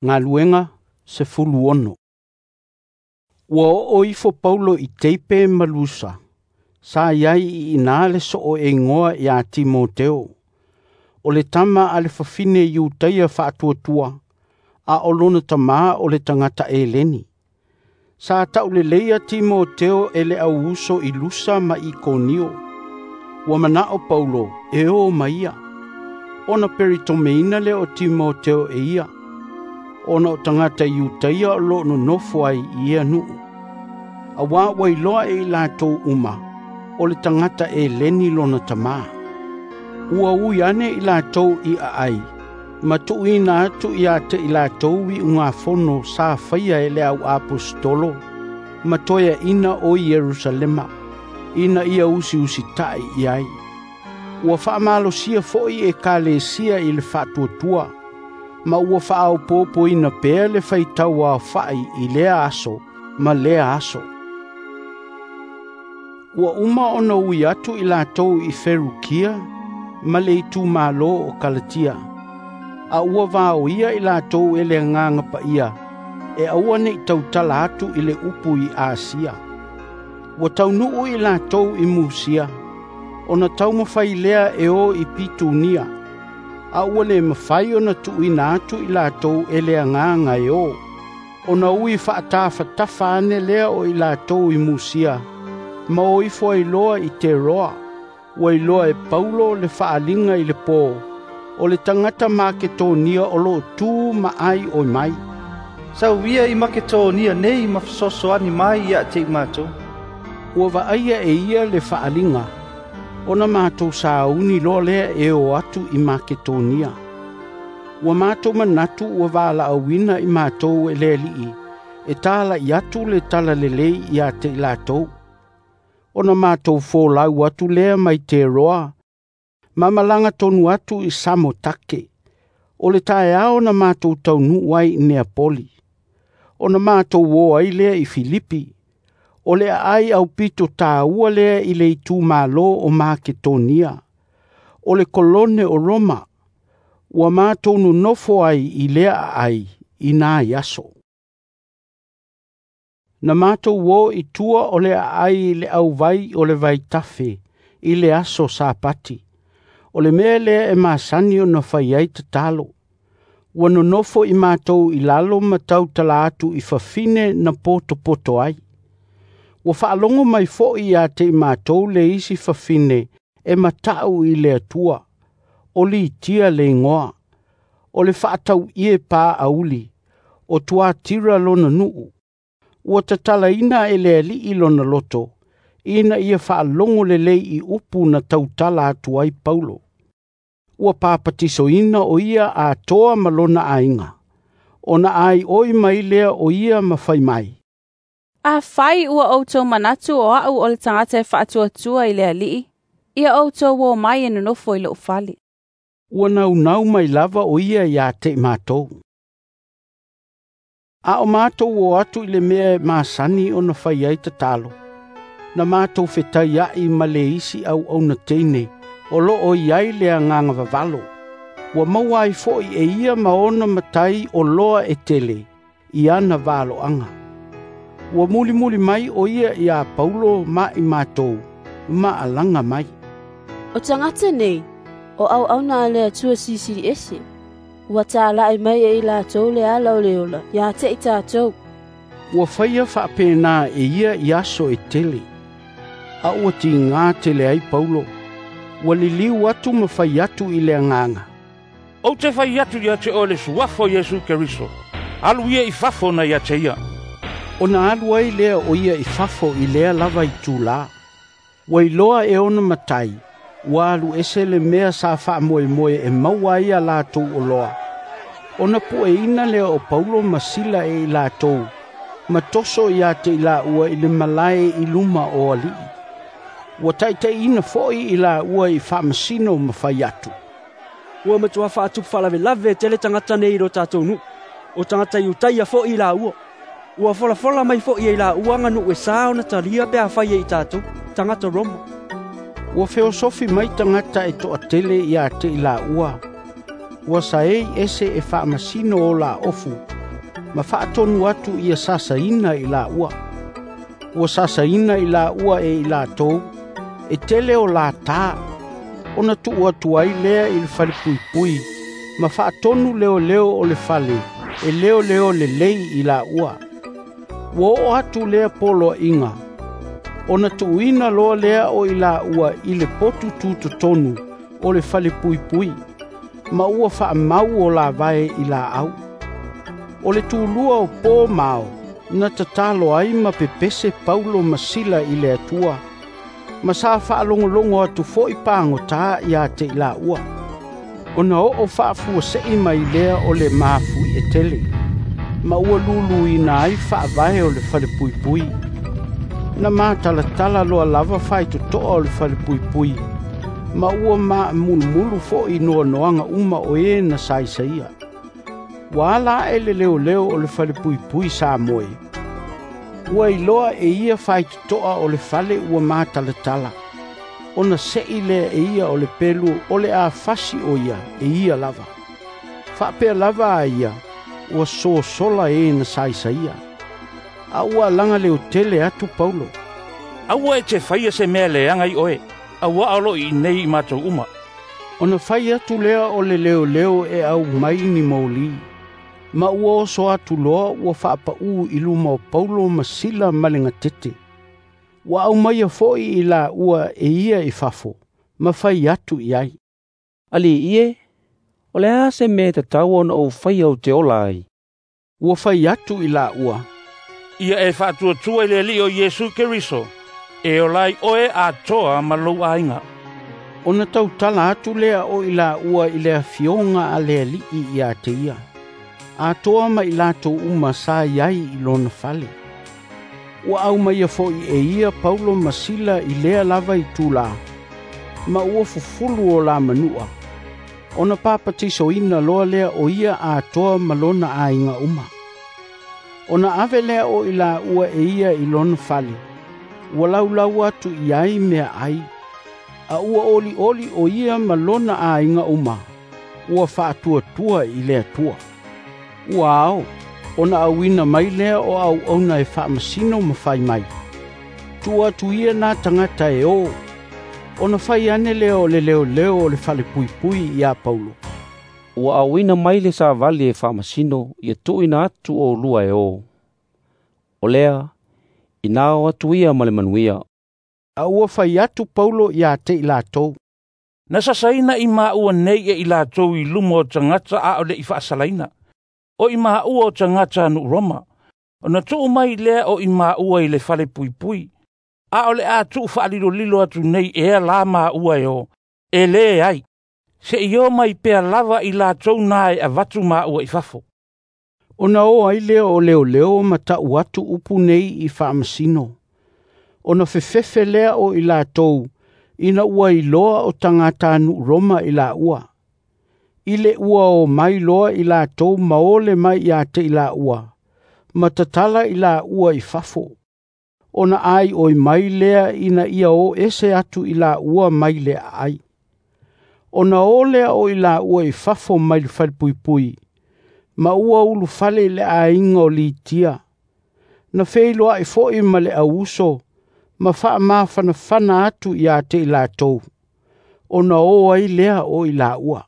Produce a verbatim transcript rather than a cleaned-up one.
Galuega sefulu ono. Ua oo ifo Paulo i Teipe ma Lusa, sa i ai i ina le soo e igoa ia Timoteo. O le tama a le fafine Iutaia faatuatua, a o lona tamā o le tagata Eleni. Sa tauleleia Timoteo e le au uso i Lusa ma Ikonio. Ua manao Paulo e o ma ia, ona peritomeina lea o Timoteo e ia, ona o tagata Iutaia o loo nonofo ai i ia nuu. Auā ua iloa e i latou uma, o le tagata Eleni lona tamā. Ua ui ane i latou i aai, ma tuuina atu ia te i latou iugafono sa faia e le au aposetolo, ma toeaina o Ierusalema, ina ia usiusitai i ai. Ua faamalosia foi ekalesia i le faatuatua, ma ua faaopoopoina pea le faitau aofai i lea aso ma lea aso. Ua uma ona ui atu i latou i Ferukia ma le itumalo o Kalatia, a ua vaoia i latou e le agaga paia e aua nei tautala atu i le upu i Asia. Ua taunuu i latou i Musia, ona taumafai lea e o i Pitunia, a ua le mafai ona tuuina atu i latou e le agaga e o, ona ui faatafatafa ane lea o i latou i Musia, ma o ifo ai loa i Teroa. Ua iloa e Paulo le faaliga i le pō, o le tagata Maketonia o loo tu ma ai oi mai. Sau ia i Maketonia nei ma fesoasoani mai ia te i matou. Ua vaaia e ia le faaliga, ona matou sauni loa lea e o atu i Maketonia. Ua matou manatu ua valaauina i matou e le Alii, e talai atu le talalelei ia te i latou. Ona matou folau atu lea mai Teroa, ma malaga tonu atu i Samotake. O le taeao na matou taunuu ai i Neapoli. Ona matou o ai lea i Filipi. O le aai aupito tāua lea i le itumalo o Maketonia. O le kolone o Roma. Ua matou nonofo ai i lea aai i nai aso. Na matou o i tua o le aai i le auvai o le vaitafe i le aso Sapati. O le mea lea e masani ona fai ai tatalo. Ua nonofo i matou i lalo ma tautala atu i fafine na potopoto ai. Ua faalogo mai foi ia te i matou le isi fafine e matau i le Atua, o Litia le igoa, o le faatauie paauli, o Tuatira lona nuu. Ua tatalaina e le Alii lona loto, ina ia faalogo lelei i upu na tautala atu ai Paulo. Ua papatisoina o ia atoa ma lona aiga, ona ai oi mai lea o ia ma fai mai. Afai ua outou manatu o au o le tagata e faatuatua i le Alii, ia outou o mai e nonofo i lou fale. Ua naunau mai lava o ia ia te i matou. A o matou o atu i le mea e masani ona fai ai tatalo, na matou fetaiai ma le isi auauna teine, o loo i ai le agaga vavalo. Ua maua ai foi e ia ma ona matai o loa e tele i ana valoaga. Ua mulimuli mai o ia ia Paulo ma i matou, ma alaga mai. O tagata nei, o auauna a le Atua Silisili Ese, ua talai mai e i latou le ala o le ola ia te i tatou. Ua faia faapena e ia i aso e tele, a ua tigā tele ai Paulo. Ua liliu atu ma fai atu i le agaga. Ou te fai atu ia te oe le suafa o Iesu Keriso, alu ia i fafo na ia te ia. Ona alu ai lea o ia i fafo i lea lava itulā. Ua iloa e ona matai, ua alu ese le mea sa faamoemoe e maua ai a latou oloa. Ona pueina lea o Paulo ma Sila e i latou, ma toso ia te i laua i le malae i luma o alii. Ua taitaiina foi i laua i faamasino ma fai atu. Ua matua faatupu faalavelave tele tagata nei i lo tatou nuu, o tagata Iutaia foi i laua. Ua folafola mai foi e i laua aganuu e sa ona talia pe afai e i tatou, tagata Roma. Ua feosofi mai tagata e toatele ia te i laua, Ua saei ese e faamasino o laofu, ma faatonu atu ia sasaina i laua. Ua sasaina i laua e i latou, e tele o latā, ona tuu atu ai lea i le falepuipui, ma faatonu leoleo o le fale e leoleo lelei i laua. Ua oo atu lea poloaiga, ona tuuina loa lea o i laua i le potu tutotonu o le falepuipui, ma ua faamau o lavae i laau. O le tulua o po ma ao, na tatalo ai ma pepese Paulo ma Sila i le Atua, ma sa faalogologo atu foi pagota ia te i laua. Ona oo faafuasei mai lea o le mafuie tele, ma ua luluina ai faavae o le falepuipui. Na matalatala loa lava faitotoa o le falepuipui, ma ua maamulumulu foi noanoaga uma o e na saisaia. Ua ala ae le leoleo o le falepuipui sa moe. Ua iloa e ia faitotoa o le fale ua matalatala, ona sei lea e ia o le pelu o le a fasi o ia e ia lava. Faapea lava a ia, ua sosola e na saisaia. A ua alaga leo tele atu Paulo. Aua e te faia se mea leaga i oe, auā o loo i nei i matou uma. Ona fai atu lea o le leoleo e au mai ni moli, ma ua oso atu loa ua faapaū i luma o Paulo ma Sila ma le gatete. Ua aumaia foi i laua e ia i fafo, ma fai atu i ai. Alii e, o le a se mea e tatau ona ou faia ou te ola ai? Ua fai atu i laua, Ia e faatuatua i le Alii o Iesu Keriso, e ola ai oe atoa ma lou aiga. Ona tautala atu lea o i laua i le afioga a le Alii ia te ia, atoa ma i latou uma sa i ai i lona fale. Ua aumaia foi e ia Paulo ma Sila i lea lava itulā, ma ua fufulu o la manua, ona papatisoina loa lea o ia atoa ma lona aiga uma. Ona ave lea o i laua e ia i lona fale, ua laulau atu i ai mea ai, a ua olioli o ia ma lona aiga uma, ua faatuatua i le Atua. Ua ao, ona auina mai lea o auauna e faamasino ma fai mai. Tuu atu ia nā tagata e o, ona fai ane lea o le leoleo o le falepuipui ia Paulo. Ua auina mai le savali e faamasino ia tuuina atu oulua e o. O lea, ina o atu ia ma le manuia. A ua fai atu Paulo ia te i latou. Na sasaina i maua nei e i latou i luma o tagata a o le i faasalaina. O i maua o tagata a nuu Roma. Ona tuu mai lea o i maua i le falepuipui. A o le a tuu faalilolilo atu nei ea la maua e o, e lē ai. Se i o mai pea lava i latou na e avatu maua i fafo. Ona o ai lea o leoleo ma tau atu upu nei i faamasino. Ona fefefe lea o i latou, ina ua iloa o tagata nuu Roma i laua. I le ua o mai loa i latou ma ole mai ia te i laua, ma tatala i laua i fafo. Ona ai oi mai lea ina ia o ese atu i laua mai le aai. Ona o lea o i laua i fafo mai le falepuipui, ma ua ulufale i le aiga o Litia. Na feiloai foi ma le auuso, ma faamafanafana atu ia te i latou, ona o ai lea o i laua.